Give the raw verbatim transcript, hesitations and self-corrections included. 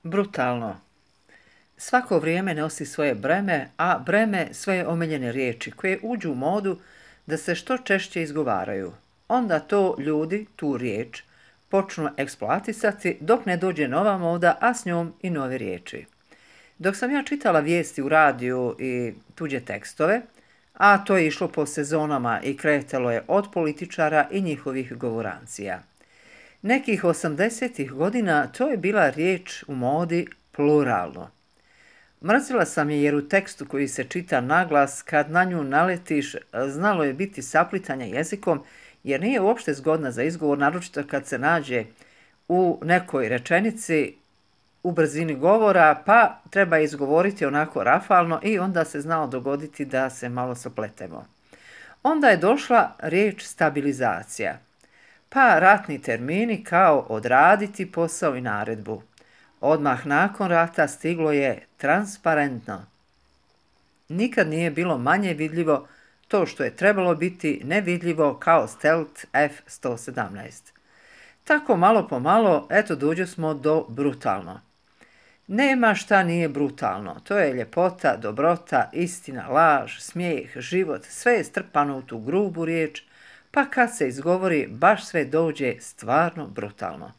Brutalno. Svako vrijeme nosi svoje breme, a breme svoje omiljene riječi koje uđu u modu da se što češće izgovaraju. Onda to ljudi, tu riječ, počnu eksploatisati dok ne dođe nova moda, a s njom i nove riječi. Dok sam ja čitala vijesti u radiju i tuđe tekstove, a to je išlo po sezonama i kretalo je od političara i njihovih govorancija. Nekih osamdesetih godina to je bila riječ u modi pluralno. Mrzila sam je jer u tekstu koji se čita naglas, kad na nju naletiš, znalo je biti saplitanja jezikom, jer nije uopšte zgodna za izgovor, naročito kad se nađe u nekoj rečenici u brzini govora, pa treba izgovoriti onako rafalno i onda se znalo dogoditi da se malo sapletemo. Onda je došla riječ stabilizacija, pa ratni termini kao odraditi posao i naredbu. Odmah nakon rata stiglo je transparentno. Nikad nije bilo manje vidljivo to što je trebalo biti nevidljivo kao Stealth F sto sedamnaest. Tako malo po malo, eto dođo smo do brutalno. Nema šta nije brutalno, to je ljepota, dobrota, istina, laž, smijeh, život, sve je strpano u tu grubu riječ, pa kad se izgovori baš sve dođe stvarno brutalno.